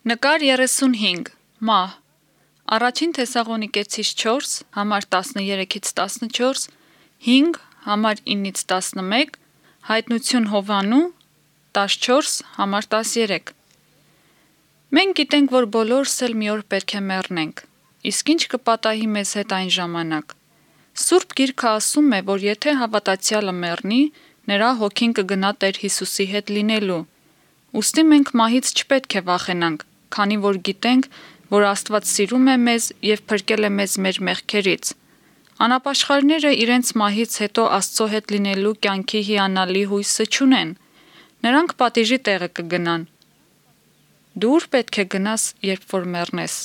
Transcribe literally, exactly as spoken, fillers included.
Նկար երեսունհինգ. Մահ. Առաջին Թեսաղոնիկեցիս չորս, համար տասներեքից տասնչորս, հինգ, համար ինից տասնմեկ, հայտնություն Հովանու, տասնչորս, համար տասներեք։ Մենք գիտենք, որ բոլորս էլ մի օր պետք է մեռնենք, իսկ ինչ կպատահի մեզ հետ այն ժամանակ։ Սուրբ Գիրքը ասում է, որ եթե հավատացյալը մեռնի, նրա հոգին կգնա Տեր Հիսուսի հետ լինելու։ Ուստի մենք մահից չպետք է վախենանք, քանի որ գիտենք, որ Աստված սիրում է մեզ և փրկել է մեզ մեր մեղքերից։ Անապաշխարները իրենց մահից հետո Աստծո հետ լինելու կյանքի հիանալի հույսը չունեն։ Նրանք պատիժի տեղը կգնան։ Դու ուր պետք է գնաս, երբ որ մեռնես։